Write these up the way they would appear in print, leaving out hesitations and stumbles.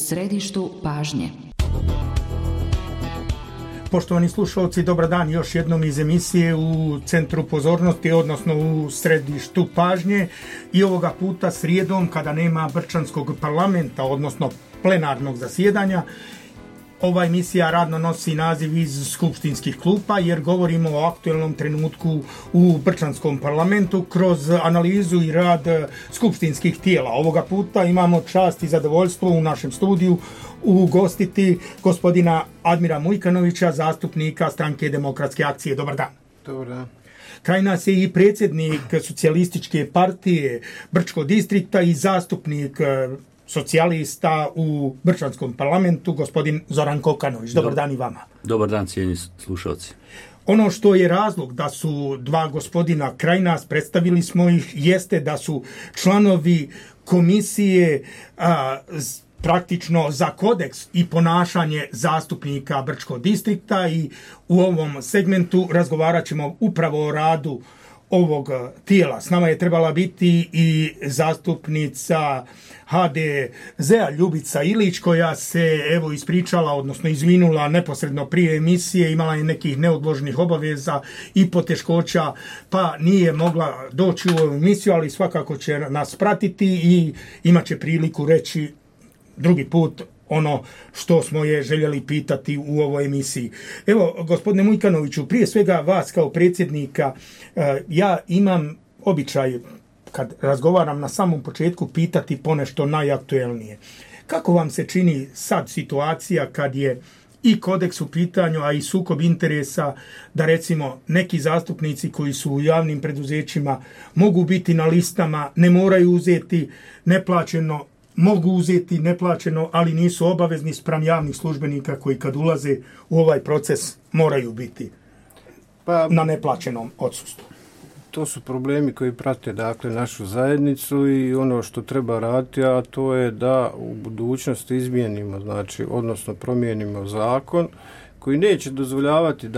središtu pažnje. Poštovani slušalci, dobar dan još jednom iz emisije u centru pozornosti, odnosno u središtu pažnje, i ovoga puta srijedom kada nema Brčanskog parlamenta, odnosno plenarnog zasjedanja. Ova emisija radno nosi naziv iz skupštinskih klupa jer govorimo o aktualnom trenutku u Brčanskom parlamentu kroz analizu i rad skupštinskih tijela. Ovoga puta imamo čast i zadovoljstvo u našem studiju ugostiti gospodina Admira Mujkanovića, zastupnika Stranke demokratske akcije. Dobar dan. Dobar dan. Kraj nas je i predsjednik Socijalističke partije Brčkog distrikta i zastupnik socijalista u Brčanskom parlamentu, gospodin Zoran Kokanović. Dobar dan i vama. Dobar dan, cijenjeni slušalci. Ono što je razlog da su dva gospodina kraj nas, predstavili smo ih, jeste da su članovi komisije praktično za kodeks i ponašanje zastupnika Brčkog distrikta, i u ovom segmentu razgovarat ćemo upravo o radu ovog tijela. S nama je trebala biti i zastupnica HDZ-a Ljubica Ilić, koja se ispričala, odnosno izvinula neposredno prije emisije, imala je nekih neodloženih obaveza i poteškoća, pa nije mogla doći u ovu emisiju, ali svakako će nas pratiti i imat će priliku reći drugi put ono što smo je željeli pitati u ovoj emisiji. Evo, gospodine Mujkanoviću, prije svega vas kao predsjednika, ja imam običaj kad razgovaram na samom početku pitati ponešto najaktuelnije. Kako vam se čini sad situacija kad je i kodeks u pitanju, a i sukob interesa, da recimo neki zastupnici koji su u javnim preduzećima mogu biti na listama, ne moraju uzeti neplaćeno, mogu uzeti neplaćeno, ali nisu obavezni spram javnih službenika koji kad ulaze u ovaj proces moraju biti na neplaćenom odsustvu? To su problemi koji prate našu zajednicu i ono što treba raditi, a to je da u budućnosti izmijenimo, odnosno promijenimo zakon koji neće dozvoljavati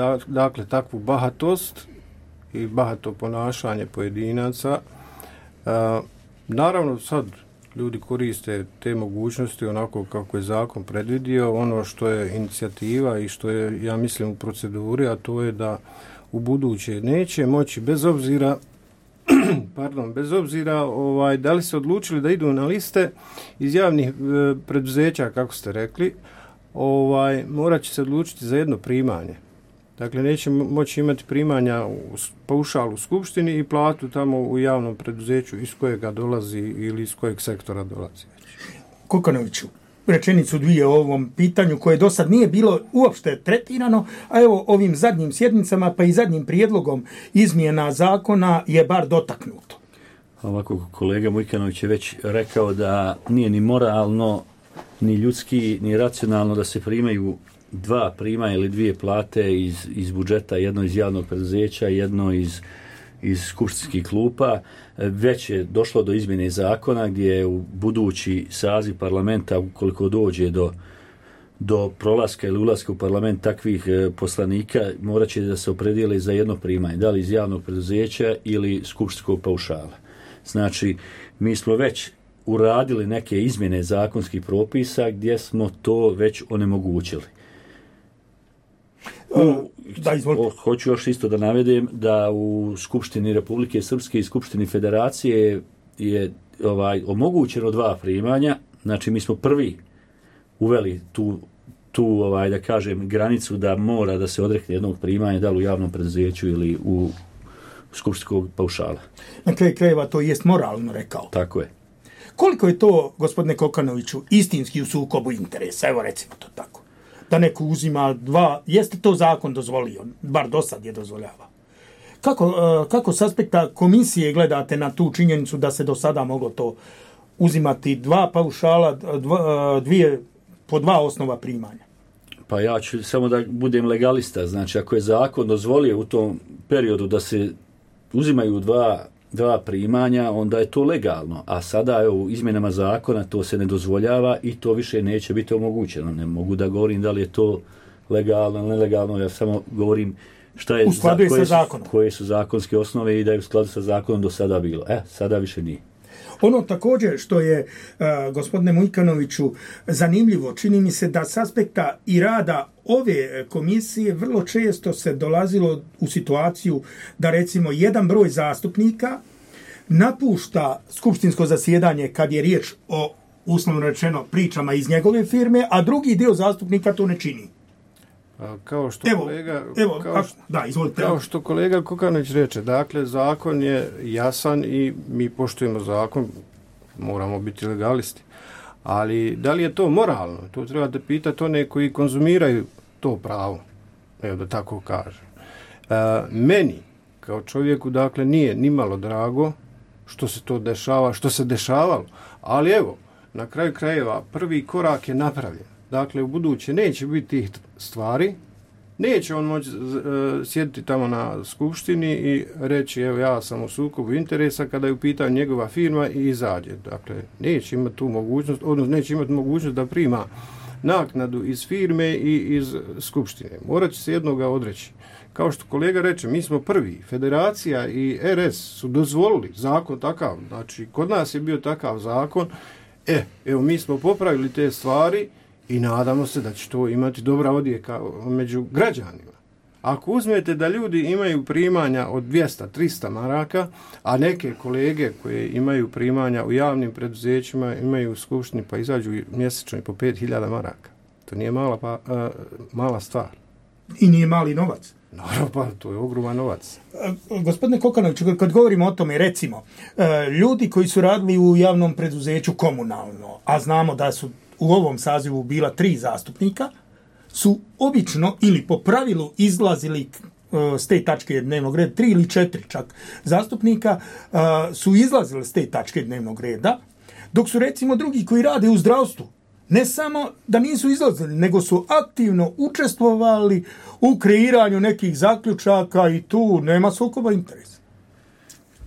takvu bahatost i bahato ponašanje pojedinaca. Naravno sad ljudi koriste te mogućnosti onako kako je zakon predvidio. Ono što je inicijativa i što je, ja mislim, u proceduri, a to je da u buduće neće moći, bez obzira da li se odlučili da idu na liste iz javnih preduzeća, kako ste rekli, morat će se odlučiti za jedno primanje. Dakle, neće moći imati primanja paušal u skupštini i platu tamo u javnom preduzeću iz kojega dolazi ili iz kojeg sektora dolazi. Kokanoviću, rečenicu dvije o ovom pitanju koje do sad nije bilo uopšte tretirano, a evo ovim zadnjim sjednicama pa i zadnjim prijedlogom izmjena zakona je bar dotaknuto. Ovako, kolega Mujkanović je već rekao da nije ni moralno, ni ljudski, ni racionalno da se primaju dva primanja ili dvije plate iz budžeta, jedno iz javnog preduzeća, jedno iz skupštinskih klupa. Već je došlo do izmjene zakona gdje je u budući saziv parlamenta, ukoliko dođe do prolaska ili ulaska u parlament takvih poslanika, morat će da se opredijele za jedno primanje, da li iz javnog preduzeća ili skupštinskog paušala. Znači, mi smo već uradili neke izmjene zakonskih propisa gdje smo to već onemogućili. Hoću još isto da navedem da u Skupštini Republike Srpske i Skupštini Federacije je omogućeno dva primanja. Znači, mi smo prvi uveli tu da kažem granicu da mora da se odrekne jednog primanja, da li u javnom preduzeću ili u skupštinskog paušala. Na kraju krajeva to jest moralno, rekao. Tako je. Koliko je to, gospodine Kokanoviću, istinski u sukobu interesa? Evo, recimo to tako. Da neko uzima dva, jeste to zakon dozvolio, bar do sad je dozvoljava. Kako s aspekta komisije gledate na tu činjenicu da se do sada moglo to uzimati dva paušala, po dva osnova primanja? Pa ja ću samo da budem legalista. Znači, ako je zakon dozvolio u tom periodu da se uzimaju dva primanja, onda je to legalno. A sada u izmjenama zakona to se ne dozvoljava i to više neće biti omogućeno. Ne mogu da govorim da li je to legalno ili nelegalno, ja samo govorim šta je, koje su zakonske osnove i da je u skladu sa zakonom do sada bilo. Sada više nije. Ono također što je, gospodine Mujkanoviću, zanimljivo, čini mi se da s aspekta i rada ove komisije vrlo često se dolazilo u situaciju da recimo jedan broj zastupnika napušta skupštinsko zasjedanje kad je riječ o, uslovno rečeno, pričama iz njegove firme, a drugi dio zastupnika to ne čini. Kao što kolega Kokanović reče, dakle, zakon je jasan i mi poštujemo zakon, moramo biti legalisti. Ali da li je to moralno? To trebate pitati one koji konzumiraju to pravo, evo da tako kažem. Meni, kao čovjeku, dakle, nije nimalo drago što se to dešava, što se dešavalo, ali evo, na kraju krajeva, prvi korak je napravljen. Dakle, u buduće neće biti tih stvari, neće on moći sjediti tamo na skupštini i reći, evo, ja sam u sukobu interesa kada je u pitanju njegova firma i izađe. Dakle, neće imati tu mogućnost, odnosno neće imati mogućnost da prima naknadu iz firme i iz skupštine. Morat će se jednoga odreći. Kao što kolega reče, mi smo prvi. Federacija i RS su dozvolili zakon takav. Znači, kod nas je bio takav zakon. Evo, mi smo popravili te stvari i nadamo se da će to imati dobra odjeka među građanima. Ako uzmete da ljudi imaju primanja od 200-300 maraka, a neke kolege koje imaju primanja u javnim preduzećima imaju u skupštini pa izađu mjesečno i po 5000 maraka. To nije mala stvar. I nije mali novac. Naravno, pa to je ogroman novac. Gospodine Kokanoviću, kad govorimo o tome, recimo, ljudi koji su radili u javnom preduzeću komunalno, a znamo da su u ovom sazivu bila 3 zastupnika, su obično ili po pravilu izlazili s te tačke dnevnog reda, 3 ili 4 čak zastupnika su izlazili s te tačke dnevnog reda, dok su recimo drugi koji rade u zdravstvu, ne samo da nisu izlazili, nego su aktivno učestvovali u kreiranju nekih zaključaka i tu nema sukoba interesa.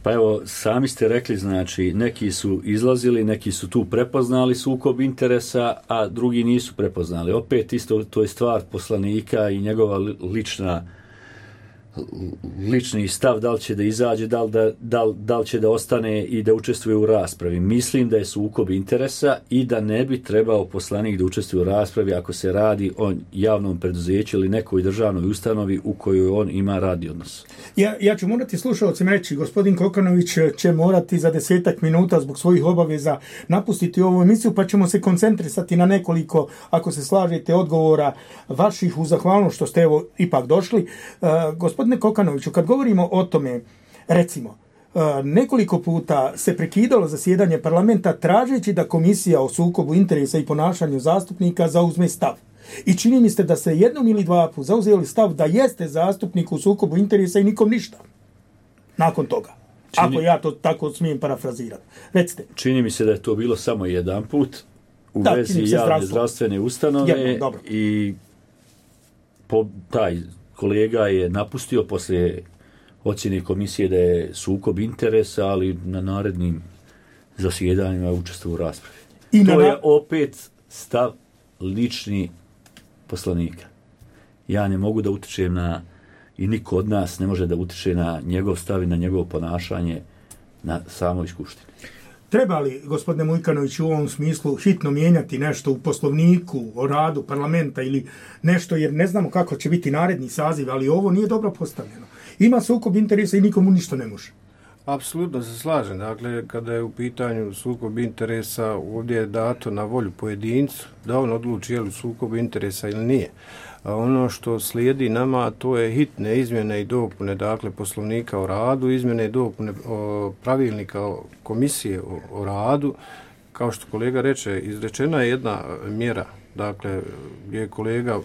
Pa evo, sami ste rekli, znači, neki su izlazili, neki su tu prepoznali sukob interesa, a drugi nisu prepoznali. Opet isto to je stvar poslanika i njegova lični stav, da li će da izađe, da li će da ostane i da učestvuje u raspravi. Mislim da je sukob interesa i da ne bi trebao poslanik da učestvuje u raspravi ako se radi o javnom preduzeću ili nekoj državnoj ustanovi u kojoj on ima radni odnos. Ja ću morati slušalcima reći, gospodin Kokanović će morati za 10 minuta zbog svojih obaveza napustiti ovu emisiju, pa ćemo se koncentrisati na nekoliko, ako se slažete, odgovora vaših u zahvalnost što ste evo ipak došli. Gospodine Kokanoviću, kad govorimo o tome, recimo, nekoliko puta se prekidalo zasjedanje parlamenta tražeći da komisija o sukobu interesa i ponašanju zastupnika zauzme stav. I čini mi se da se jednom ili dva puta zauzeli stav da jeste zastupnik u sukobu interesa i nikom ništa. Nakon toga. Ako ja to tako smijem parafrazirati. Recite. Čini mi se da je to bilo samo jedan put u vezi javne zdravstvene ustanove i taj kolega je napustio poslije ocjene komisije da je sukob interesa, ali na narednim zasjedanjima učestvovao u raspravi. To je opet stav lični poslanika. Ja ne mogu da utičem i niko od nas ne može da utiče na njegov stav i na njegovo ponašanje na samoj skupštini. Treba li, gospodine Mujkanović, u ovom smislu hitno mijenjati nešto u poslovniku o radu parlamenta ili nešto, jer ne znamo kako će biti naredni saziv, ali ovo nije dobro postavljeno. Ima sukob interesa i nikomu ništa ne može. Apsolutno se slažem. Dakle, kada je u pitanju sukob interesa, ovdje je dato na volju pojedincu da on odluči je li sukob interesa ili nije. A ono što slijedi nama, to je hitne izmjene i dopune, dakle, poslovnika o radu, izmjene i dopune pravilnika komisije o radu. Kao što kolega reče, izrečena je jedna mjera, dakle, gdje je kolega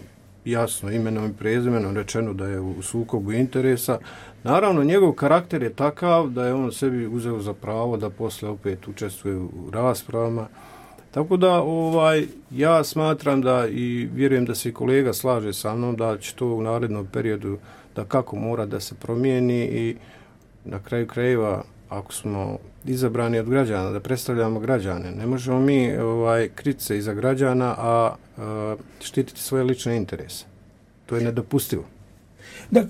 jasno imenom i prezimenom rečeno da je u sukobu interesa. Naravno, njegov karakter je takav da je on sebi uzeo za pravo da posle opet učestvuje u raspravama. Tako da ja smatram da i vjerujem da se i kolega slaže sa mnom da će to u narednom periodu da kako mora da se promijeni i na kraju krajeva ako smo izabrani od građana, da predstavljamo građane, ne možemo mi kriti se iza građana, a štititi svoje lične interese. To je nedopustivo. Da,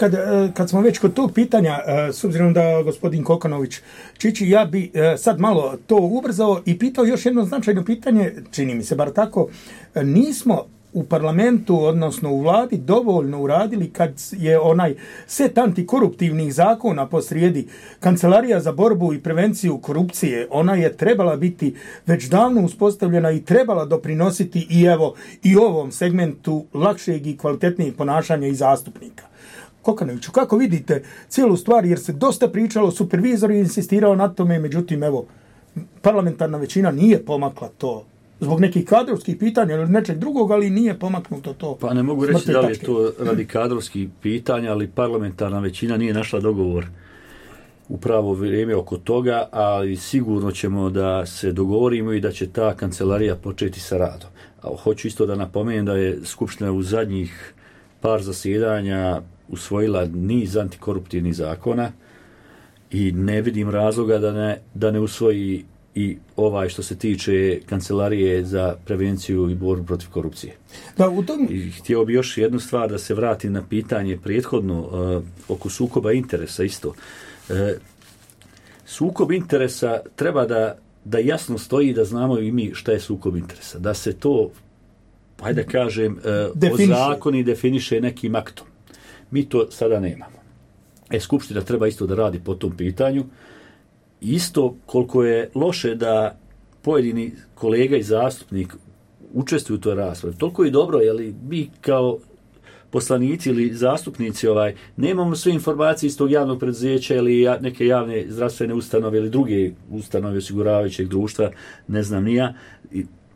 kad smo već kod tog pitanja, s obzirom da gospodin Kokanović Čiči, ja bi sad malo to ubrzao i pitao još jedno značajno pitanje, čini mi se bar tako, nismo u parlamentu, odnosno u vladi, dovoljno uradili kad je onaj set antikoruptivnih zakona posrijedi. Kancelarija za borbu i prevenciju korupcije, ona je trebala biti već davno uspostavljena i trebala doprinositi i ovom segmentu lakšeg i kvalitetnijeg ponašanja i zastupnika. Kokanoviću, kako vidite cijelu stvar, jer se dosta pričalo, supervizor je insistirao na tome, međutim, parlamentarna većina nije pomakla to zbog nekih kadrovskih pitanja ili nečeg drugog, ali nije pomaknuto to. Pa ne mogu reći da li je to radi kadrovskih pitanja, ali parlamentarna većina nije našla dogovor u pravo vrijeme oko toga, ali sigurno ćemo da se dogovorimo i da će ta kancelarija početi sa radom. A hoću isto da napomenem da je Skupština u zadnjih par zasjedanja usvojila niz antikoruptivnih zakona i ne vidim razloga da ne usvoji i što se tiče kancelarije za prevenciju i borbu protiv korupcije. Da, u tom... I htio bi još jednu stvar da se vratim na pitanje prethodno oko sukoba interesa isto. Sukob interesa treba da jasno stoji, da znamo i mi šta je sukob interesa. Da se to, hajde da kažem, ozakoni definiše nekim aktom. Mi to sada nemamo. Skupština treba isto da radi po tom pitanju. Isto koliko je loše da pojedini kolega i zastupnik učestvuju u toj raspravi. Toliko je dobro, jer mi kao poslanici ili zastupnici nemamo sve informacije iz tog javnog preduzeća ili neke javne zdravstvene ustanove ili druge ustanove osiguravajućeg društva, ne znam ni ja.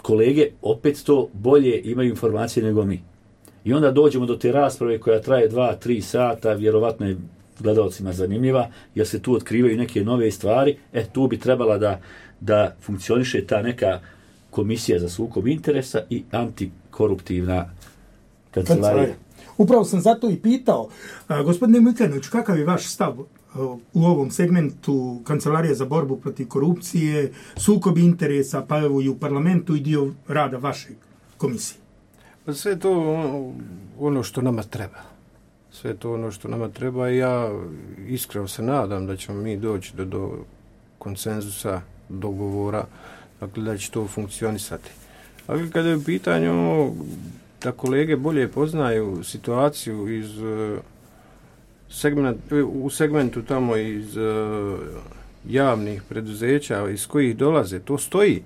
Kolege opet to bolje imaju informacije nego mi. I onda dođemo do te rasprave koja traje 2-3 sata, vjerovatno je gledalcima zanimljiva, jer se tu otkrivaju neke nove stvari. Tu bi trebala da funkcioniše ta neka komisija za sukob interesa i antikoruptivna kancelarija. Upravo sam zato i pitao, gospodine Mujkanović, kakav je vaš stav u ovom segmentu kancelarije za borbu protiv korupcije, sukob interesa, pa evo i u parlamentu i dio rada vaše komisije? Pa sve to ono što nama treba. Sve to ono što nama treba i ja iskreno se nadam da ćemo mi doći do konsenzusa, dogovora, dakle da će to funkcionisati. Ali kada je u pitanju da kolege bolje poznaju situaciju u segmentu tamo iz javnih preduzeća iz kojih dolaze, to stoji.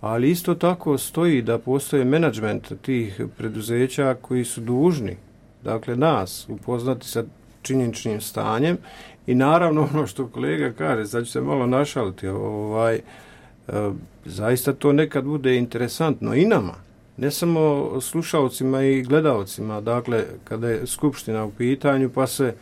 Ali isto tako stoji da postoje menadžment tih preduzeća koji su dužni, dakle nas, upoznati sa činjeničnim stanjem i naravno ono što kolega kaže, sad ću se malo našaliti, zaista to nekad bude interesantno i nama, ne samo slušalcima i gledalcima, dakle kada je skupština u pitanju pa se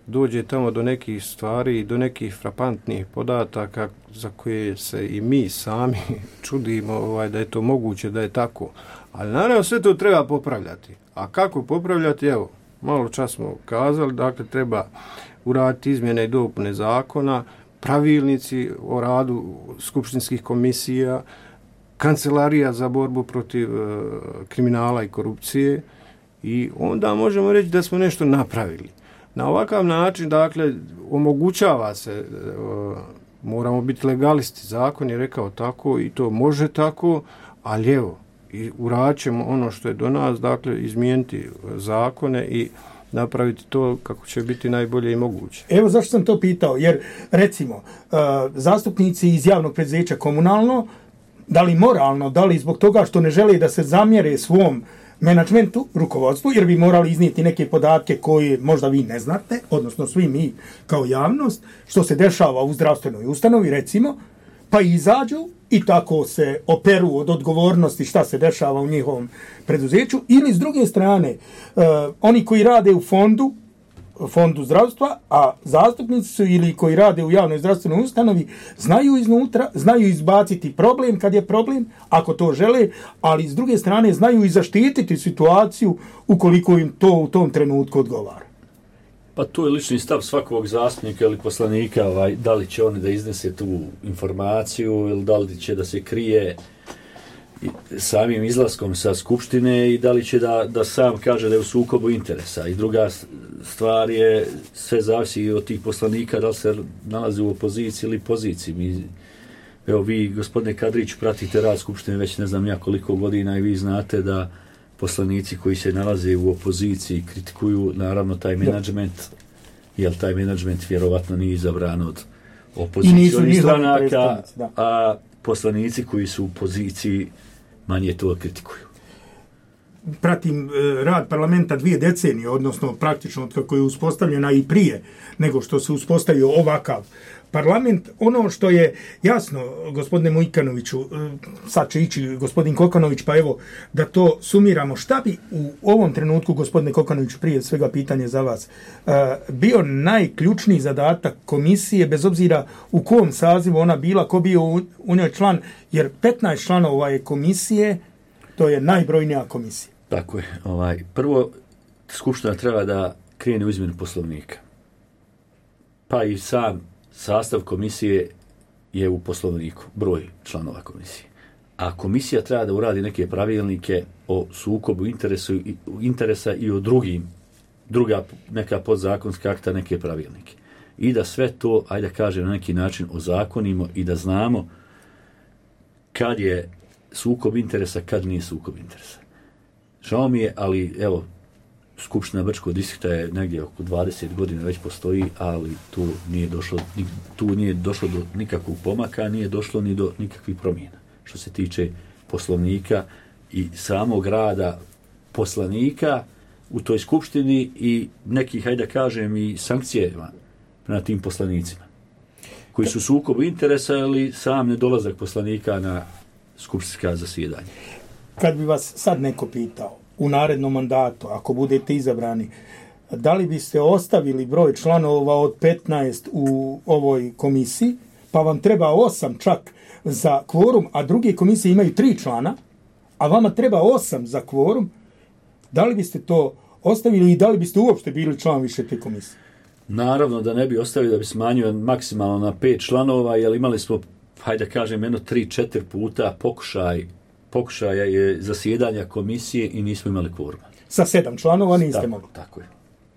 dođe tamo do nekih stvari i do nekih frapantnih podataka za koje se i mi sami čudimo da je to moguće, da je tako. Ali naravno sve to treba popravljati. A kako popravljati? Evo, malo čas smo kazali, dakle treba uraditi izmjene i dopune zakona, pravilnici o radu skupštinskih komisija, kancelarija za borbu protiv kriminala i korupcije i onda možemo reći da smo nešto napravili. Na ovakav način, dakle, omogućava se, moramo biti legalisti, zakon je rekao tako i to može tako, ali evo, i uradit ćemo ono što je do nas, dakle, izmijeniti zakone i napraviti to kako će biti najbolje i moguće. Evo zašto sam to pitao, jer recimo, zastupnici iz javnog preduzeća komunalno, da li moralno, da li zbog toga što ne žele da se zamjere svom menadžmentu, rukovodstvu, jer bi morali iznijeti neke podatke koje možda vi ne znate, odnosno svi mi kao javnost, što se dešava u zdravstvenoj ustanovi, recimo, pa izađu i tako se operu od odgovornosti šta se dešava u njihovom preduzeću, ili s druge strane, oni koji rade u fondu zdravstva, a zastupnici su ili koji rade u javnoj zdravstvenoj ustanovi, znaju iznutra, znaju izbaciti problem kad je problem, ako to žele, ali s druge strane znaju i zaštititi situaciju ukoliko im to u tom trenutku odgovara. Pa to je lični stav svakog zastupnika ili poslanika, da li će oni da iznese tu informaciju ili da li će da se krije. samim izlaskom sa skupštine i da li će da sam kaže da je u sukobu interesa. I druga stvar je, sve zavisi od tih poslanika da li se nalazi u opoziciji ili poziciji. Evo vi, gospodine Kadrić, pratite rad skupštine već ne znam ja koliko godina i vi znate da poslanici koji se nalaze u opoziciji kritikuju naravno taj menadžment, jer taj menadžment vjerovatno nije izabran od opozicionih stranaka, a poslanici koji su u poziciji manje to kritikuju. Pratim rad parlamenta 2 decenije, odnosno praktično kako je uspostavljena i prije nego što se uspostavio ovakav parlament. Ono što je jasno, gospodine Mujkanoviću, sad će ići gospodin Kokanović, pa evo da to sumiramo. Šta bi u ovom trenutku, gospodine Kokanoviću, prije svega pitanje za vas, bio najključniji zadatak komisije, bez obzira u kom sazivu ona bila, ko bio u njoj član, jer 15 članova je komisije, to je najbrojnija komisija. Tako je. Prvo, skupština treba da krene u izmjenu poslovnika. Pa i sam sastav komisije je u poslovniku, broj članova komisije. A komisija treba da uradi neke pravilnike o sukobu interesa i o druga neka podzakonska akta, neke pravilnike. I da sve to, ajde da kažem, na neki način ozakonimo i da znamo kad je sukob interesa, kad nije sukob interesa. Žao mi je, ali evo, Skupština Brčkog distrikta je negdje oko 20 godina već postoji, ali tu nije došlo do nikakvog pomaka, nije došlo ni do nikakvih promjena. Što se tiče poslovnika i samog rada poslanika u toj skupštini i nekih, hajde da kažem, i sankcijama na tim poslanicima, koji su sukobu interesa ili sam nedolazak poslanika na skupštinska zasjedanja. Kad bi vas sad neko pitao, u narednom mandatu, ako budete izabrani, da li biste ostavili broj članova od 15 u ovoj komisiji, pa vam treba 8 čak za kvorum, a druge komisije imaju 3 člana, a vama treba 8 za kvorum, da li biste to ostavili i da li biste uopšte bili član više te komisije? Naravno da ne bi ostavili, da bi smanjio maksimalno na 5 članova, jer imali smo, hajde da kažem, 3-4 puta pokušaja je zasjedanja komisije i nismo imali kvoruma. Sa 7 članova niste mogli. Tako je.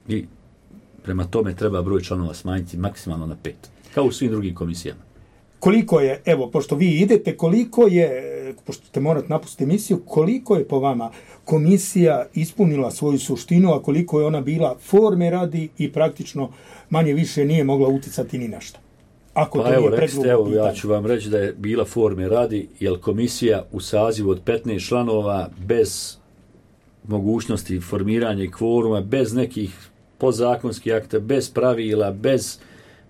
I prema tome treba broj članova smanjiti maksimalno na 5. Kao u svim drugim komisijama. Koliko je, evo, pošto vi idete, koliko je, pošto ćete morati napustiti emisiju, koliko je po vama komisija ispunila svoju suštinu, a koliko je ona bila forme radi i praktično manje više nije mogla uticati ni na šta? Evo, ja ću vam reći da je bila forme radi, jer komisija u sazivu od 15 članova bez mogućnosti formiranja kvoruma, bez nekih podzakonskih akta, bez pravila,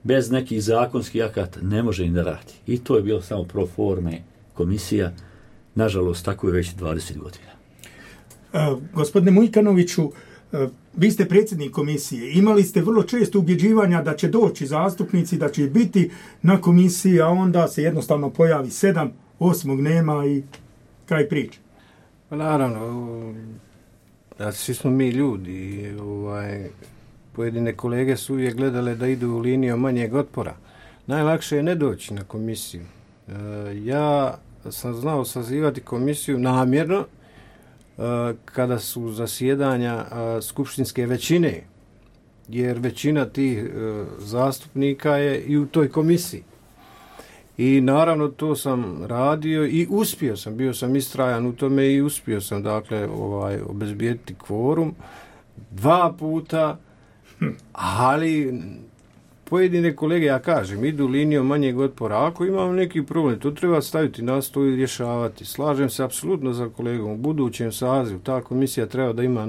bez nekih zakonskih akata ne može i da radi. I to je bilo samo pro forme komisija. Nažalost, tako je već 20 godina. Gospodine Mujkanoviću, vi ste predsjednik komisije. Imali ste vrlo često ubjeđivanja da će doći zastupnici, da će biti na komisiji, a onda se jednostavno pojavi 7, 8 nema i kraj priče. Pa naravno, svi smo mi ljudi. Pojedine kolege su uvijek gledale da idu u liniju manjeg otpora. Najlakše je ne doći na komisiju. Ja sam znao sazivati komisiju namjerno kada su zasjedanja skupštinske većine, jer većina tih zastupnika je i u toj komisiji. I naravno to sam radio i uspio sam, bio sam istrajan u tome i uspio sam obezbijediti kvorum 2 puta, ali pojedine kolege, ja kažem, idu linijom manjeg otpora. Ako imamo neki problem, to treba staviti na stol i rješavati. Slažem se apsolutno za kolegom. U budućem sazivu ta komisija treba da ima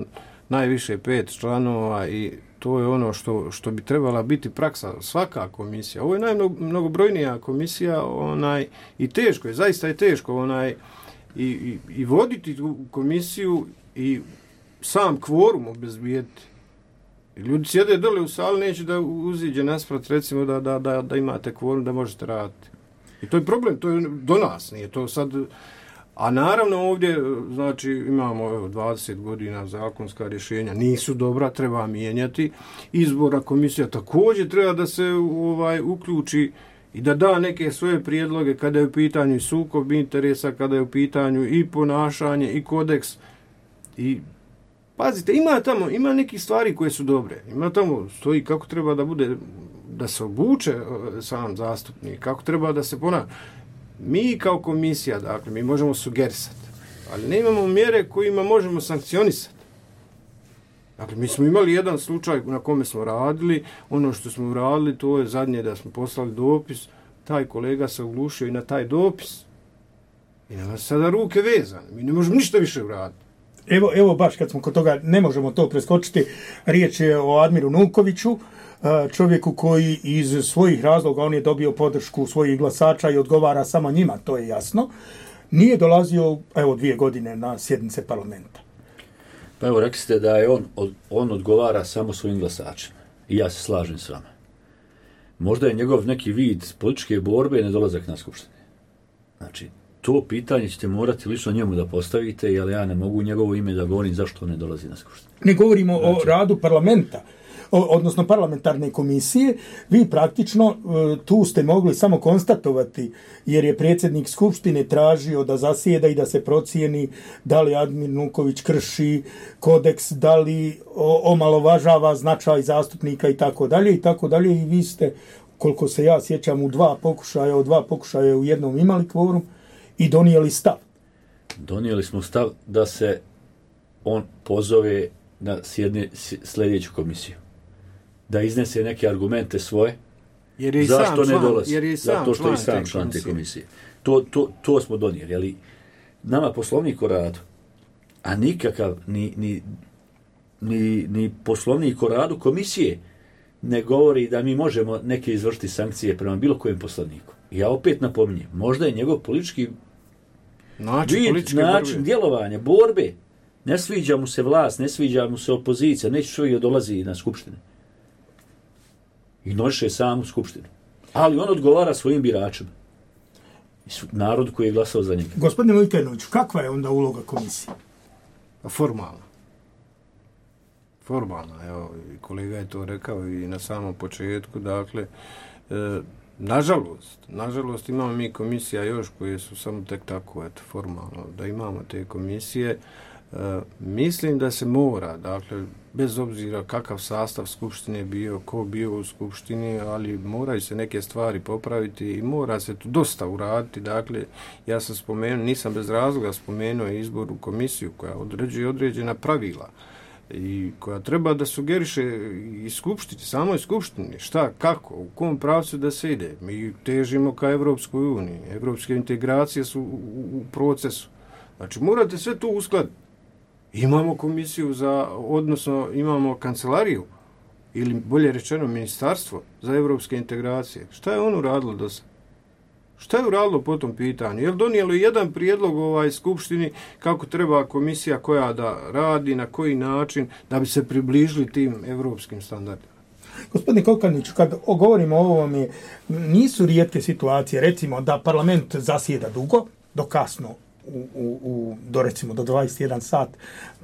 najviše 5 članova i to je ono što bi trebala biti praksa. Svaka komisija. Ovo je najmnogobrojnija komisija i teško je, zaista je teško i voditi tu komisiju i sam kvorum obezbijeti. Ljudi sjede dole u sali, neće da uziđe nasprat, recimo da imate kvorum, da možete raditi. I to je problem, to je do nas, nije to sad. A naravno ovdje, znači, imamo 20 godina zakonska rješenja, nisu dobra, treba mijenjati. Izbora komisija također treba da se uključi i da da neke svoje prijedloge kada je u pitanju i sukob interesa, kada je u pitanju i ponašanje i kodeks. I pazite, ima nekih stvari koje su dobre. Ima tamo stoji kako treba da bude, da se obuče sam zastupnik, kako treba da se ponaša. Mi kao komisija, dakle, mi možemo sugerisati, ali ne imamo mjere kojima možemo sankcionisati. Dakle, mi smo imali jedan slučaj na kome smo radili, ono što smo uradili, to je zadnje da smo poslali dopis, taj kolega se oglušio i na taj dopis. I nama sada ruke vezane, mi ne možemo ništa više uraditi. Evo baš kad smo kod toga, ne možemo to preskočiti, riječ je o Admiru Nukoviću, čovjeku koji iz svojih razloga, on je dobio podršku svojih glasača i odgovara samo njima, to je jasno, nije dolazio 2 godine na sjednice parlamenta. Pa evo, rekli ste da je on odgovara samo svojim glasačima. I ja se slažem s vama. Možda je njegov neki vid političke borbe nedolazak na skupštine. Znači, to pitanje ćete morati lično njemu da postavite, jer ja ne mogu u njegovo ime da govorim zašto ne dolazi na skupštinu. Ne govorimo o radu parlamenta, odnosno parlamentarne komisije. Vi praktično tu ste mogli samo konstatovati, jer je predsjednik skupštine tražio da zasjeda i da se procijeni da li Admir Nuković krši kodeks, da li omalovažava značaj zastupnika i tako dalje. I vi ste, koliko se ja sjećam, od 2 pokušaja u jednom imali kvorum i donijeli stav. Donijeli smo stav da se on pozove na sljedeću komisiju. Da iznese neke argumente svoje. Jer je zašto ne dolazi? Jer je zato što je i sam član te komisije. To smo donijeli. Ali nama poslovnik o radu, a nikakav ni poslovnik o radu komisije ne govori da mi možemo neke izvršiti sankcije prema bilo kojem poslovniku. Ja opet napominjem, možda je njegov politički način djelovanja, borbe. Ne sviđa mu se vlast, ne sviđa mu se opozicija, neće čovjek dolazi na skupštine. Ignoriše samu skupštinu. Ali on odgovara svojim biračima. Narod koji je glasao za njega. Gospodine Vujkanoviću, kakva je onda uloga komisije? Formalna. Evo, kolega je to rekao i na samom početku. Dakle, nažalost imamo mi komisija još koje su samo tek tako, formalno, da imamo te komisije. Mislim da se mora, dakle, bez obzira kakav sastav skupštine bio, ko bio u skupštini, ali moraju se neke stvari popraviti i mora se tu dosta uraditi. Dakle, ja sam spomenuo, nisam bez razloga spomenuo izbor u komisiju koja određuje određena pravila i koja treba da sugeriše i skupštini, samoj skupštini, šta, kako, u kom pravcu da se ide. Mi težimo ka Evropskoj uniji, evropske integracije su u procesu. Znači, morate sve to uskladiti. Imamo komisiju odnosno imamo kancelariju, ili bolje rečeno ministarstvo za evropske integracije. Šta je ono uradilo do sada? Šta je uradilo po tom pitanju? Je li donijelo jedan prijedlog skupštini kako treba komisija koja da radi, na koji način, da bi se približili tim evropskim standardima? Gospodine Kokaniću, kad govorimo o ovome, nisu rijetke situacije, recimo da parlament zasjeda dugo, do kasno, do recimo do 21 sat,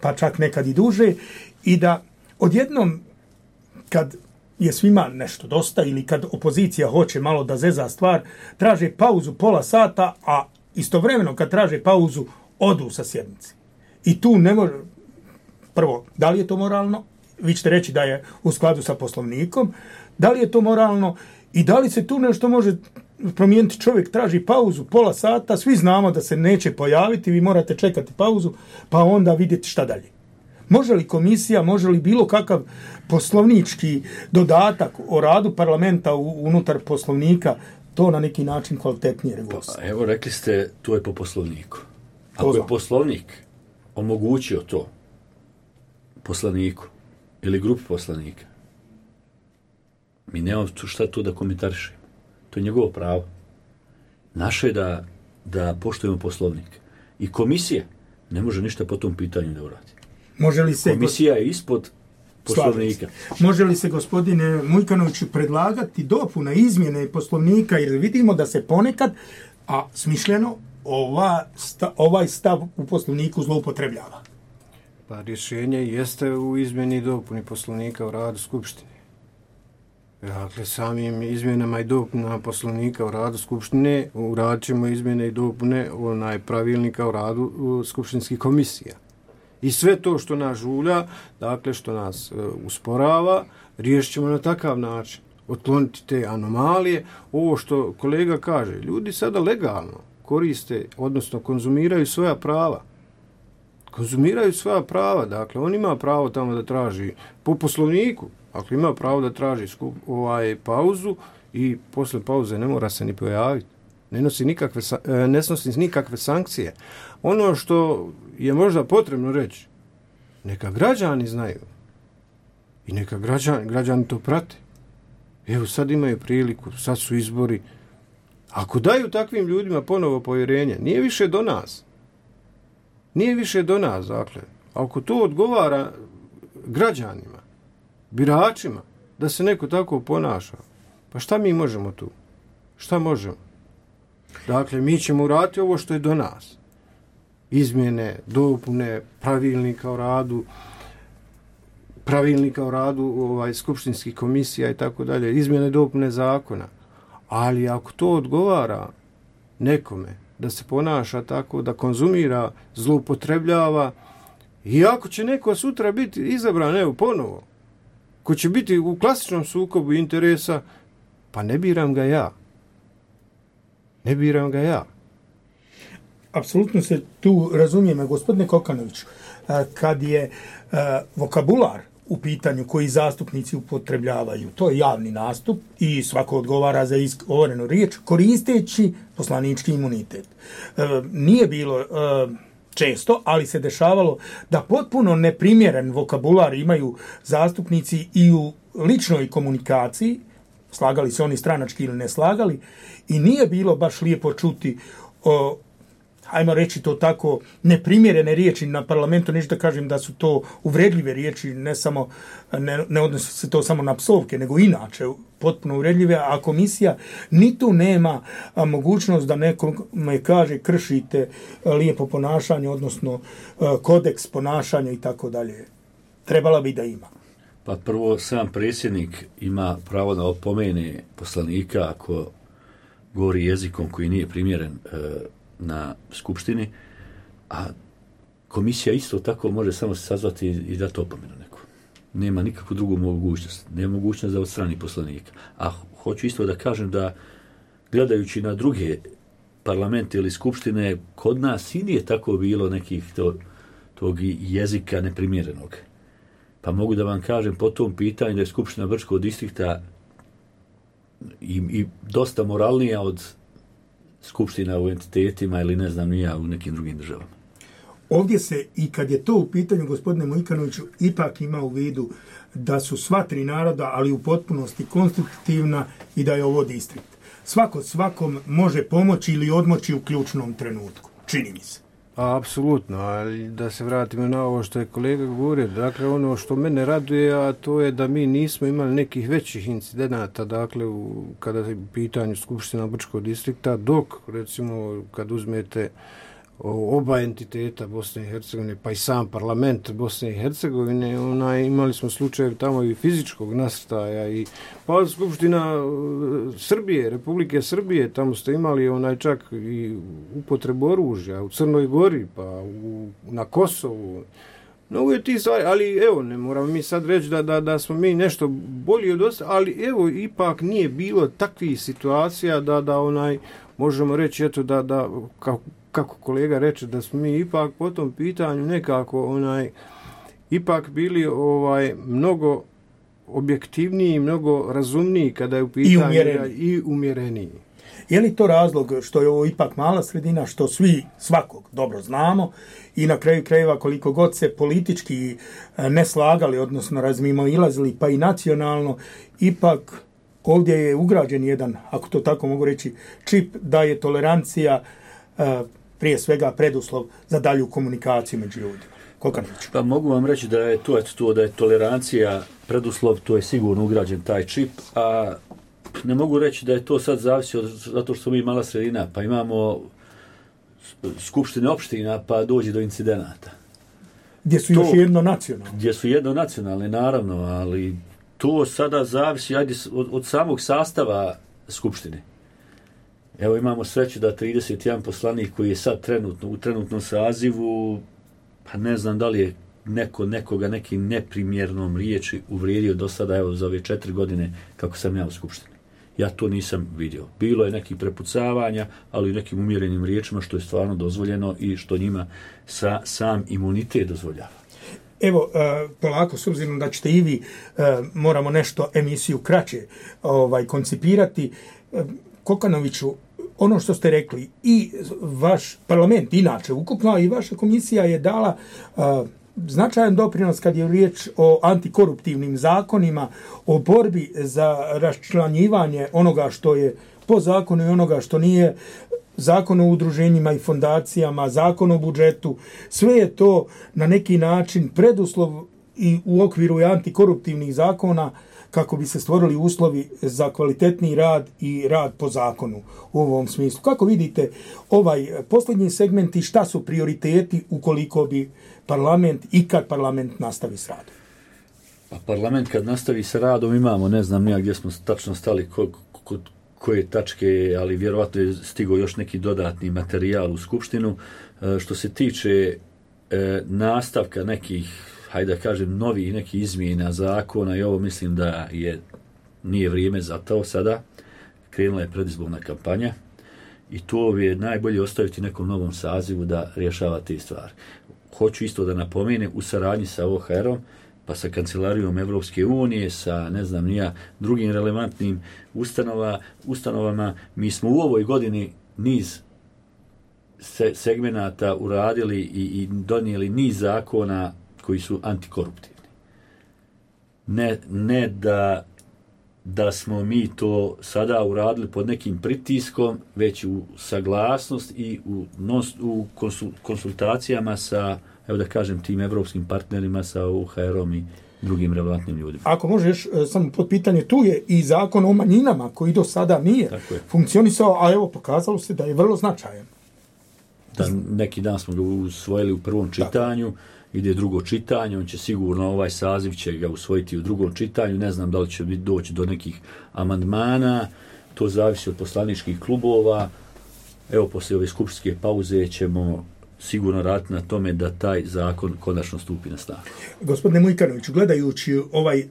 pa čak nekad i duže, i da odjednom kad je svima nešto dosta ili kad opozicija hoće malo da zeza stvar, traže pauzu pola sata, a istovremeno kad traže pauzu odu sa sjednice. I tu ne može, prvo, da li je to moralno? Vi ćete reći da je u skladu sa poslovnikom. Da li je to moralno i da li se tu nešto može promijeniti? Čovjek traži pauzu pola sata, svi znamo da se neće pojaviti, vi morate čekati pauzu, pa onda vidjeti šta dalje. Može li komisija, može li bilo kakav poslovnički dodatak o radu parlamenta unutar poslovnika to na neki način kvalitetnije regulisati? Pa, evo, rekli ste, to je po poslovniku. Ako je poslovnik omogućio to poslaniku ili grupi poslanika, mi nemamo šta tu da komentarišemo. To je njegovo pravo. Naše je da poštujemo poslovnik. I komisija ne može ništa po tom pitanju da uradi. Komisija je ispod poslovnika. Može li se, gospodine Mujkanoviću, predlagati dopuna izmjene poslovnika, jer vidimo da se ponekad, a smišljeno, ovaj stav u poslovniku zloupotrebljava? Pa rješenje jeste u izmjeni i dopuni poslovnika o radu skupštine. Dakle, samim izmjenama i dopunama poslovnika o radu Skupštine uradit ćemo izmjene i dopune pravilnika o radu skupštinskih komisija. I sve to što nas žulja, dakle što nas usporava, riješit ćemo na takav način. Otkloniti te anomalije. Ovo što kolega kaže, ljudi sada legalno koriste, odnosno konzumiraju svoja prava. Konzumiraju svoja prava, dakle, on ima pravo tamo da traži po poslovniku, ako ima pravo da traži pauzu i posle pauze ne mora se ni pojaviti. Ne snosi nikakve sankcije. Ono što je možda potrebno reći, neka građani znaju i neka građani to prate. Evo sad imaju priliku, sad su izbori. Ako daju takvim ljudima ponovo povjerenje, nije više do nas. Nije više do nas, dakle. Ako to odgovara građanima, biračima, da se neko tako ponaša, pa šta mi možemo tu? Šta možemo? Dakle, mi ćemo uraditi ovo što je do nas. Izmjene, dopune, pravilnika o radu skupštinskih komisija i tako dalje, izmjene, dopune zakona. Ali ako to odgovara nekome da se ponaša tako, da konzumira, zloupotrebljava, i ako će neko sutra biti izabran, evo ponovo, ko će biti u klasičnom sukobu interesa, pa ne biram ga ja. Ne biram ga ja. Apsolutno se tu razumijemo, gospodine Kokanoviću, kad je vokabular u pitanju koji zastupnici upotrebljavaju, to je javni nastup i svako odgovara za izgovorenu riječ koristeći poslanički imunitet. Nije bilo često, ali se dešavalo da potpuno neprimjeren vokabular imaju zastupnici i u ličnoj komunikaciji, slagali se oni stranački ili ne slagali, i nije bilo baš lijepo čuti hajmo reći to tako, neprimjerene riječi na parlamentu, neću da kažem da su to uvredljive riječi, ne odnosi se to samo na psovke, nego inače potpuno uvredljive, a komisija ni tu nema mogućnost da nekome kaže kršite lijepo ponašanje, odnosno kodeks ponašanja i tako dalje. Trebala bi da ima. Pa prvo, sam predsjednik ima pravo da opomene poslanika ako govori jezikom koji nije primjeren na skupštini, a komisija isto tako može samo se sazvati i dati opomenu neku. Nema nikakvu drugu mogućnost. Nema mogućnost da odstrani poslanika. A hoću isto da kažem da gledajući na druge parlamente ili skupštine, kod nas i nije tako bilo nekih tog jezika neprimjerenog. Pa mogu da vam kažem po tom pitanju da je Skupština Brčkog distrikta i dosta moralnija od skupština u entitetima ili ne znam ni ja u nekim drugim državama. Ovdje se, i kad je to u pitanju, gospodine Mujkanoviću, ipak ima u vidu da su sva tri naroda, ali u potpunosti konstitutivna i da je ovo distrikt. Svako svakom može pomoći ili odmoći u ključnom trenutku. Čini mi se. Apsolutno, ali da se vratimo na ovo što je kolega govorio, dakle ono što mene raduje, a to je da mi nismo imali nekih većih incidenata, dakle kada je u pitanju Skupština Brčkog distrikta, dok recimo kad uzmete oba entiteta Bosne i Hercegovine, pa i sam parlament Bosne i Hercegovine, imali smo slučaje tamo i fizičkog nasrtaja i pa Skupština Srbije, Republike Srbije, tamo ste imali čak i upotrebu oružja u Crnoj Gori, pa na Kosovu. Mnogo je tih stvari, ali evo, ne moramo mi sad reći da smo mi nešto bolji od ostalih, ali evo, ipak nije bilo takvih situacija da možemo reći, eto, da kako kolega reče, da smo mi ipak po tom pitanju nekako ipak bili mnogo objektivniji, mnogo razumniji kada je u pitanju i umjereniji. Je li to razlog što je ovo ipak mala sredina, što svi svakog dobro znamo i na kraju krajeva koliko god se politički ne slagali, odnosno razmimoilazili, pa i nacionalno, ipak ovdje je ugrađen jedan, ako to tako mogu reći, čip da je tolerancija prije svega preduslov za dalju komunikaciju među ljudima. Kokanović. Pa mogu vam reći da je to da je tolerancija preduslov, to je sigurno ugrađen taj čip, a ne mogu reći da je to sad zavisi zato što smo mi mala sredina, pa imamo skupštine opština, pa dođe do incidenata. Gdje su još jednonacionalne. Gdje su jednonacionalne, naravno, ali to sada zavisi od samog sastava Skupštine. Evo imamo sreću da 31 poslanik koji je sad u trenutnom sazivu, pa ne znam da li je nekoga nekim neprimjernom riječi uvrijedio do sada, evo za ove 4 godine kako sam ja u Skupštini. Ja to nisam vidio. Bilo je nekih prepucavanja, ali u nekim umjerenim riječima što je stvarno dozvoljeno i što njima sam imunitet dozvoljava. Evo, polako, s obzirom da ćete i vi, moramo nešto emisiju kraće koncipirati. Kokanoviću, ono što ste rekli, i vaš parlament, inače ukupno, i vaša komisija je dala značajan doprinos kad je riječ o antikoruptivnim zakonima, o borbi za raščlanjivanje onoga što je po zakonu i onoga što nije, zakon o udruženjima i fondacijama, zakon o budžetu, sve je to na neki način preduslov i u okviru antikoruptivnih zakona kako bi se stvorili uslovi za kvalitetni rad i rad po zakonu u ovom smislu. Kako vidite ovaj posljednji segment i šta su prioriteti ukoliko bi kad parlament nastavi s radom? Pa parlament kad nastavi sa radom imamo, ne znam nija gdje smo tačno stali kod koje tačke, ali vjerovatno je stigao još neki dodatni materijal u Skupštinu. Što se tiče nastavka nekih, hajde da kažem, novih nekih izmjena zakona, i ovo mislim da nije vrijeme za to sada. Krenula je predizborna kampanja i to je najbolje ostaviti nekom novom sazivu da rješava te stvari. Hoću isto da napomenem, u saradnji sa OHR-om, pa sa Kancelarijom Evropske unije, sa drugim relevantnim ustanovama, mi smo u ovoj godini niz segmenata uradili i donijeli niz zakona koji su antikoruptivni. Ne da smo mi to sada uradili pod nekim pritiskom, već u saglasnost i u konsultacijama sa, evo da kažem, tim evropskim partnerima, sa OHR-om i drugim relevantnim ljudima. Ako možeš, samo pod pitanje, tu je i zakon o manjinama koji do sada nije funkcionisao, a evo pokazalo se da je vrlo značajan. Neki dan smo ga usvojili u prvom čitanju, ide drugo čitanje, on će sigurno, ovaj saziv će ga usvojiti u drugom čitanju, ne znam da li će doći do nekih amandmana, to zavisi od poslaničkih klubova. Evo, poslije ove skupštinske pauze ćemo sigurno raditi na tome da taj zakon konačno stupi na snagu. Gospodine Mujkanoviću, gledajući ovaj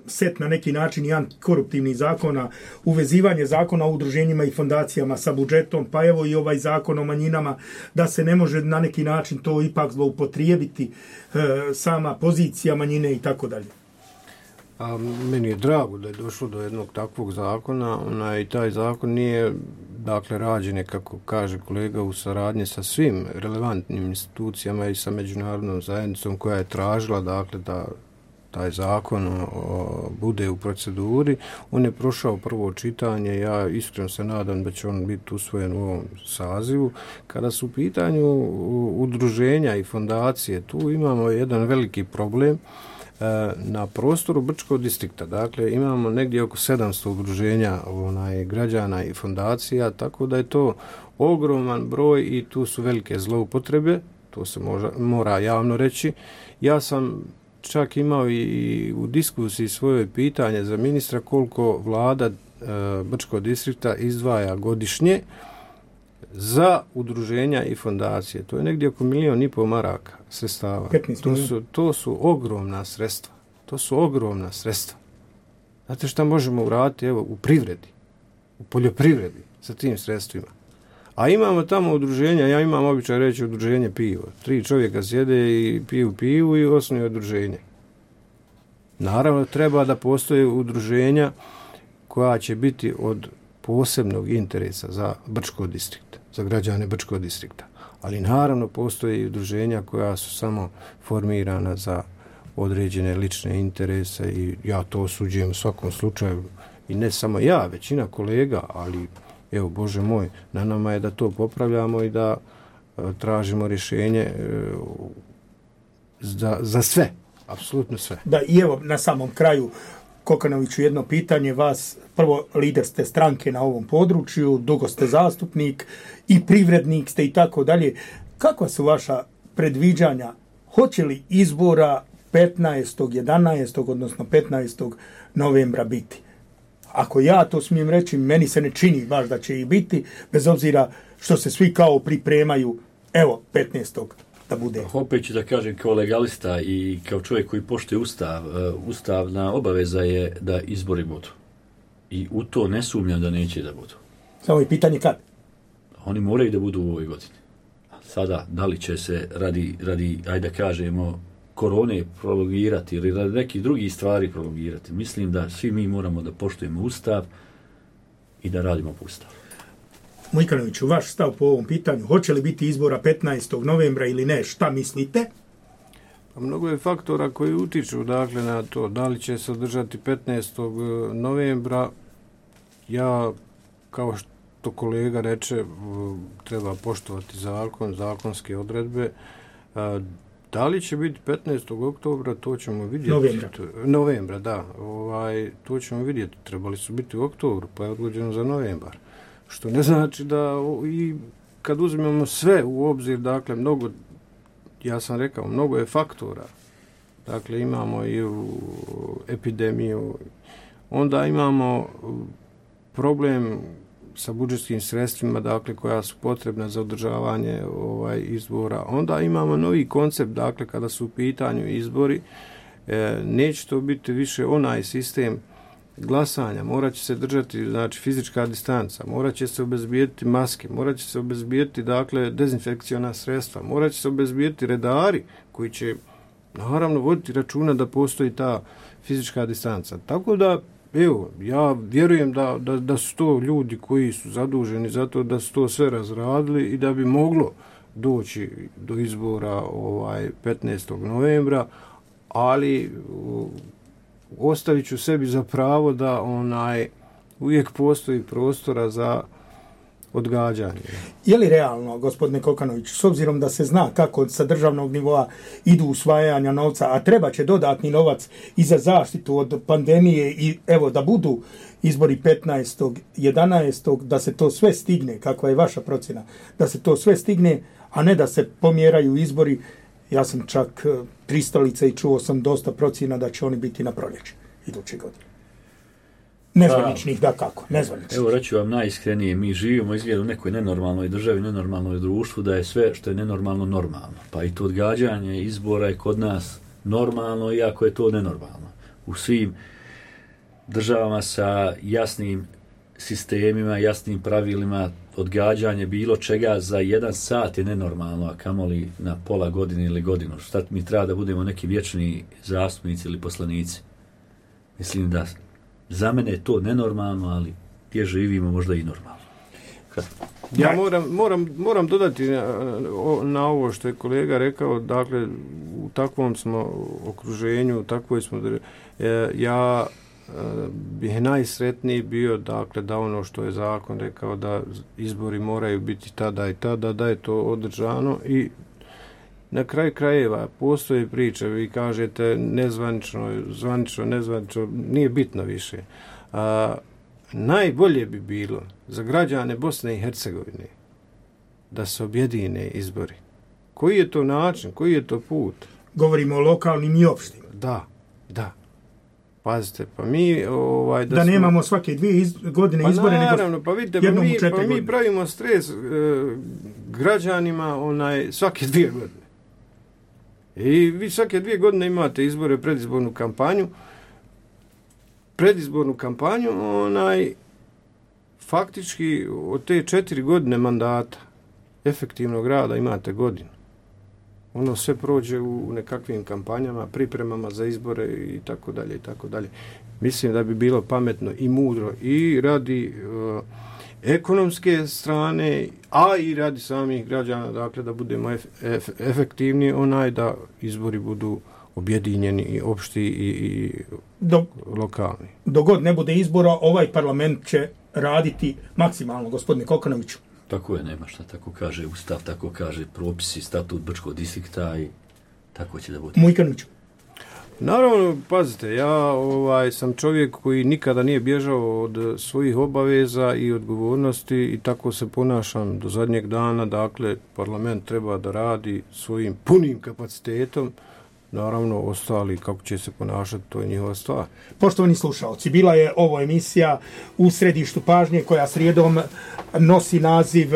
set na neki način i antikoruptivnih zakona, uvezivanje zakona o udruženjima i fondacijama sa budžetom, pa evo i ovaj zakon o manjinama, da se ne može na neki način to ipak zloupotrijebiti, sama pozicija manjine i tako dalje. Meni je drago da je došlo do jednog takvog zakona, i taj zakon nije, rađen, kako kaže kolega, u saradnji sa svim relevantnim institucijama i sa međunarodnom zajednicom koja je tražila, da taj zakon bude u proceduri. On je prošao prvo čitanje, ja iskreno se nadam da će on biti usvojen u ovom sazivu. Kada su u pitanju udruženja i fondacije, tu imamo jedan veliki problem. Na prostoru Brčkog distrikta, imamo negdje oko 700 udruženja građana i fondacija, tako da je to ogroman broj i tu su velike zloupotrebe, to se mora javno reći. Ja sam čak imao i u diskusiji svoje pitanje za ministra koliko vlada Brčkog distrikta izdvaja godišnje za udruženja i fondacije. To je negdje oko 1,5 miliona maraka sredstava. To su ogromna sredstva. To su ogromna sredstva. Znate šta možemo uraditi u privredi, u poljoprivredi sa tim sredstvima? A imamo tamo udruženja, ja imam običaj reći udruženje pivo. 3 čovjeka sjede i piju pivu i osnuju udruženje. Naravno, treba da postoje udruženja koja će biti od posebnog interesa za Brčko distrikt, za građane Brčkog distrikta. Ali naravno postoje i udruženja koja su samo formirana za određene lične interese i ja to osuđujem u svakom slučaju. I ne samo ja, većina kolega, ali evo, Bože moj, na nama je da to popravljamo i da tražimo rješenje za sve, apsolutno sve. Da, i evo na samom kraju, Kokanoviću, jedno pitanje vas. Prvo, lider ste stranke na ovom području, dugo ste zastupnik i privrednik ste i tako dalje. Kakva su vaša predviđanja? Hoće li izbora 11. odnosno 15. novembra biti. Ako ja to smijem reći, meni se ne čini baš da će ih biti, bez obzira što se svi kao pripremaju, evo, 15. da bude. Opet ću da kažem kao legalista i kao čovjek koji poštuje Ustav, ustavna obaveza je da izbori budu. I u to ne sumnjam da neće da budu. Samo je pitanje kad? Oni moraju da budu u ovoj godini. Sada, da li će se radi ajde da kažemo, korone prolongirati ili radi nekih drugih stvari prolongirati. Mislim da svi mi moramo da poštujemo Ustav i da radimo po Ustavu. Mujkanoviću, vaš stav po ovom pitanju, hoće li biti izbora 15. novembra ili ne, šta mislite? Pa mnogo je faktora koji utiču dakle, na to da li će se održati 15. novembra. Ja, kao što kolega reče, treba poštovati zakon, zakonske odredbe. Da li će biti 15. oktobra, to ćemo vidjeti. Novembra, da. To ćemo vidjeti. Trebali su biti u oktobru, pa je odgođeno za novembar. Što ne znači da i kad uzmemo sve u obzir, dakle, mnogo, ja sam rekao, mnogo je faktora. Dakle, imamo i epidemiju, onda imamo problem sa budžetskim sredstvima, dakle, koja su potrebna za održavanje izbora. Onda imamo novi koncept, dakle, kada su u pitanju izbori, neće to biti više onaj sistem glasanja, morat će se držati, znači, fizička distanca, morat će se obezbijediti maske, morat će se obezbijediti, dakle, dezinfekciona sredstva, morat će se obezbijediti redari koji će, naravno, voditi računa da postoji ta fizička distanca. Tako da, evo, ja vjerujem da su to ljudi koji su zaduženi za to, da su to sve razradili i da bi moglo doći do izbora 15. novembra, ali ostavit ću sebi za pravo da uvijek postoji prostora za odgađanje. Je li realno, gospodine Kokanović, s obzirom da se zna kako sa državnog nivoa idu usvajanja novca, a treba će dodatni novac i za zaštitu od pandemije i evo da budu izbori 15. 11. da se to sve stigne, kakva je vaša procjena, da se to sve stigne, a ne da se pomjeraju izbori. Ja sam čak pristalice i čuo sam dosta procjena da će oni biti na proljeće iduće godine. Nezvaničnih, da kako, nezvaničnih. Evo, reću vam najiskrenije, mi živimo izgleda u nekoj nenormalnoj državi, nenormalnoj društvu, da je sve što je nenormalno normalno. Pa i to odgađanje izbora je kod nas normalno, iako je to nenormalno. U svim državama sa jasnim sistemima, jasnim pravilima, odgađanje bilo čega za 1 sat je nenormalno, a kamoli na pola godine ili godinu. Šta mi treba da budemo neki vječni zastupnici ili poslanici? Mislim da za mene je to nenormalno, ali gdje živimo možda i normalno. Ja moram dodati na ovo što je kolega rekao, dakle, u takvom smo okruženju, takvoj smo, ja bih najsretniji bio, dakle, da ono što je zakon rekao da izbori moraju biti tada i tada, da je to održano i na kraju krajeva postoji priča, vi kažete nezvanično, zvanično, nezvanično, nije bitno više. Najbolje bi bilo za građane Bosne i Hercegovine da se objedine izbori. Koji je to način, koji je to put? Govorimo o lokalnim i opštim. Da. Pazite, pa mi... da nemamo svake 2 godine izbore, naravno, pa vidite, mi pravimo stres građanima svake 2 godine. I vi svake 2 godine imate izbore, predizbornu kampanju, faktički od te 4 godine mandata efektivnog rada imate godinu. Ono sve prođe u nekakvim kampanjama, pripremama za izbore i tako dalje i tako dalje. Mislim da bi bilo pametno i mudro i radi ekonomske strane, a i radi samih građana, dakle da budemo efektivni, da izbori budu objedinjeni i opšti i lokalni. Dok god ne bude izbora, ovaj parlament će raditi maksimalno, gospodine Kokanoviću. Tako je, nema šta, tako kaže Ustav, tako kaže propisi, statut Brčkog distrikta i tako će da bude. Mujkanoviću. Naravno, pazite, ja sam čovjek koji nikada nije bježao od svojih obaveza i odgovornosti i tako se ponašam do zadnjeg dana. Dakle, parlament treba da radi svojim punim kapacitetom, naravno ostali kako će se ponašati, to je njihova stvar. Poštovani slušalci, bila je ovo emisija u središtu pažnje koja srijedom nosi naziv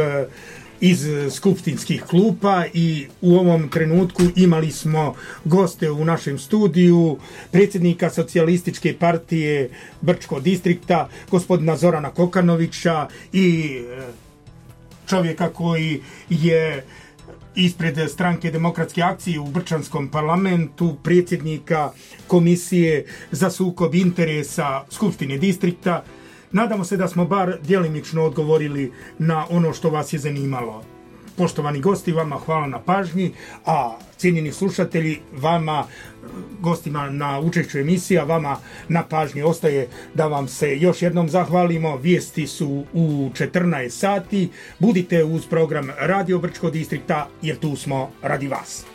iz skupštinskih klupa i u ovom trenutku imali smo goste u našem studiju, predsjednika Socijalističke partije Brčkog distrikta, gospodina Zorana Kokanovića i čovjeka koji je ispred stranke Demokratske akcije u Brčanskom parlamentu, predsjednika Komisije za sukob interesa Skupštine distrikta. Nadamo se da smo bar djelimično odgovorili na ono što vas je zanimalo. Poštovani gosti, vama hvala na pažnji, a cijenjeni slušatelji, vama, gostima na učešću emisija, vama na pažnji ostaje da vam se još jednom zahvalimo. Vijesti su u 14 sati. Budite uz program Radio Brčkog distrikta jer tu smo radi vas.